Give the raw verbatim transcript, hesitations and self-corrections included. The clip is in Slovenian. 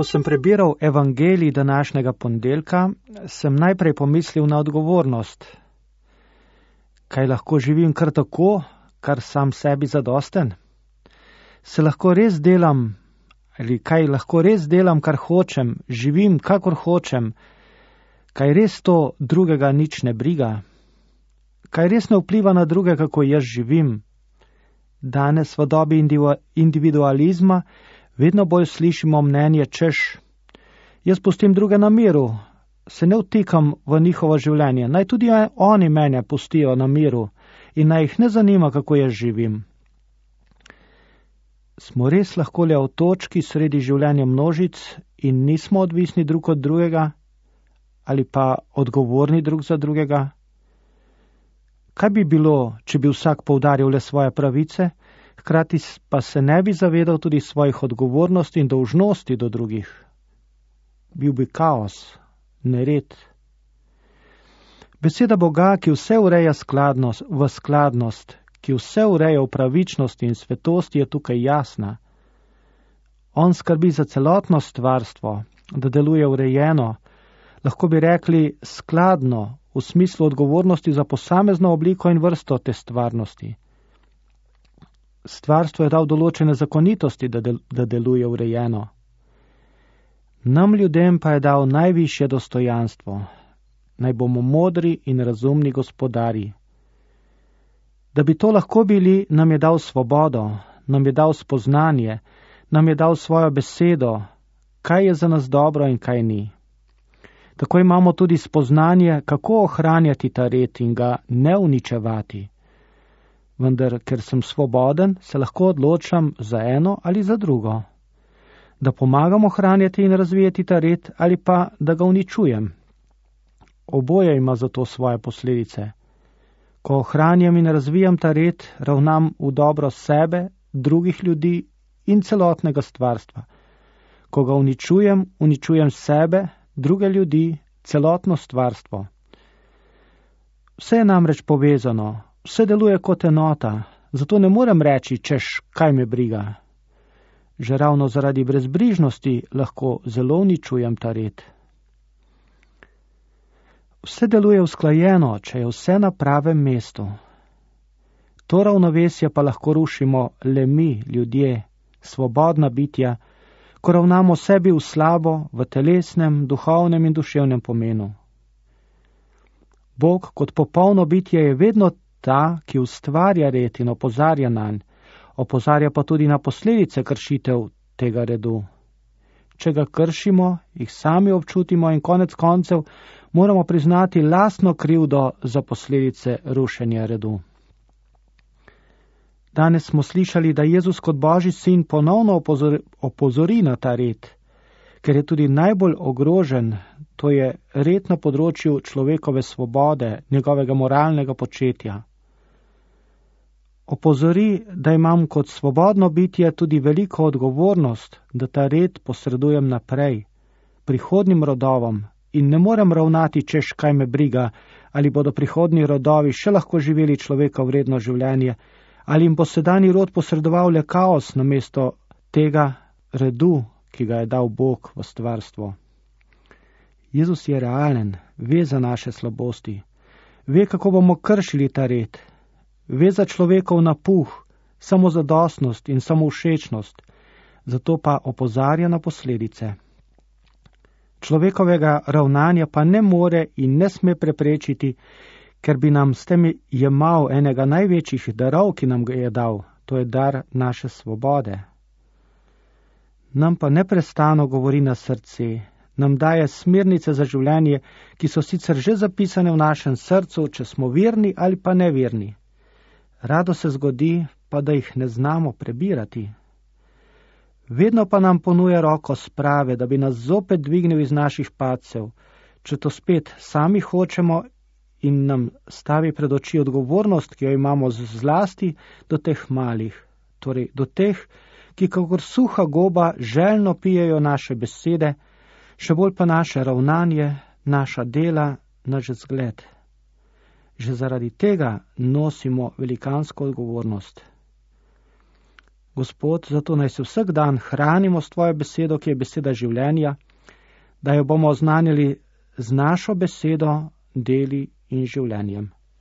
Ko sem prebiral evangelij današnjega ponedeljka, sem najprej pomislil na odgovornost. Kaj lahko živim kar tako, kar sam sebi zadosten? Se lahko res delam, ali kaj lahko res delam, kar hočem, živim, kakor hočem, kaj res to drugega nič ne briga? Kaj res ne vpliva na druge, kako jaz živim? Danes v dobi individualizma vedno bolj slišimo mnenje, češ, jaz pustim druge na miru, se ne vtikam v njihovo življenje, naj tudi oni mene pustijo na miru in naj jih ne zanima, kako jaz živim. Smo res lahko le v točki sredi življenja množic in nismo odvisni drug od drugega ali pa odgovorni drug za drugega? Kaj bi bilo, če bi vsak poudaril le svoje pravice, hkrati pa se ne bi zavedal tudi svojih odgovornosti in dolžnosti do drugih? Bil bi kaos, nered. Beseda Boga, ki vse ureja skladnost, v skladnost, ki vse ureja v pravičnosti in svetosti, je tukaj jasna. On skrbi za celotno stvarstvo, da deluje urejeno, lahko bi rekli skladno, v smislu odgovornosti za posamezno obliko in vrsto te stvarnosti. Stvarstvo je dal določene zakonitosti, da, del, da deluje urejeno. Nam ljudem pa je dal najvišje dostojanstvo, naj bomo modri in razumni gospodari. Da bi to lahko bili, nam je dal svobodo, nam je dal spoznanje, nam je dal svojo besedo, kaj je za nas dobro in kaj ni. Tako imamo tudi spoznanje, kako ohranjati ta red in ga ne uničevati. Vendar, ker sem svoboden, se lahko odločam za eno ali za drugo. Da pomagam ohranjati in razvijati ta red ali pa da ga uničujem. Oboje ima zato svoje posledice. Ko ohranjam in razvijam ta red, ravnam v dobro sebe, drugih ljudi in celotnega stvarstva. Ko ga uničujem, uničujem sebe, druge ljudi, celotno stvarstvo. Vse je namreč povezano, vse deluje kot enota, zato ne morem reči, češ, kaj me briga. Že ravno zaradi brezbrižnosti lahko zelo uničujem ta red. Vse deluje usklajeno, če je vse na pravem mestu. To ravnovesje pa lahko rušimo le mi, ljudje, svobodna bitja, ko ravnamo sebi v slabo, v telesnem, duhovnem in duševnem pomenu. Bog kot popolno bitje je vedno ta, ki ustvarja red in opozarja nanj, opozarja pa tudi na posledice kršitev tega redu. Če ga kršimo, jih sami občutimo in konec koncev moramo priznati lastno krivdo za posledice rušenja redu. Danes smo slišali, da Jezus kot Božji sin ponovno opozori, opozori na ta red, ker je tudi najbolj ogrožen, to je red na področju človekove svobode, njegovega moralnega početja. Opozori, da imam kot svobodno bitje tudi veliko odgovornost, da ta red posredujem naprej, prihodnim rodovom in ne morem ravnati, češ kaj me briga, ali bodo prihodnji rodovi še lahko živeli človeka vredno življenje, ali jim bo sedanji rod posredoval le kaos namesto tega redu, ki ga je dal Bog v stvarstvo. Jezus je realen, ve za naše slabosti, ve, kako bomo kršili ta red, ve za človekov napuh, samozadostnost in samovšečnost, zato pa opozarja na posledice. Človekovega ravnanja pa ne more in ne sme preprečiti, ker bi nam s tem jemal enega največjih darov, ki nam ga je dal, to je dar naše svobode. Nam pa neprestano govori na srce, nam daje smernice za življenje, ki so sicer že zapisane v našem srcu, če smo verni ali pa neverni. Rado se zgodi, pa da jih ne znamo prebirati. Vedno pa nam ponuja roko sprave, da bi nas zopet dvignil iz naših padcev, če to spet sami hočemo in nam stavi pred oči odgovornost, ki jo imamo zlasti do teh malih, torej do teh, ki kakor suha goba željno pijejo naše besede, še bolj pa naše ravnanje, naša dela, naš zgled. Že zaradi tega nosimo velikansko odgovornost. Gospod, zato naj se vsak dan hranimo s tvojo besedo, ki je beseda življenja, da jo bomo oznanili z našo besedo, deli in življenjem.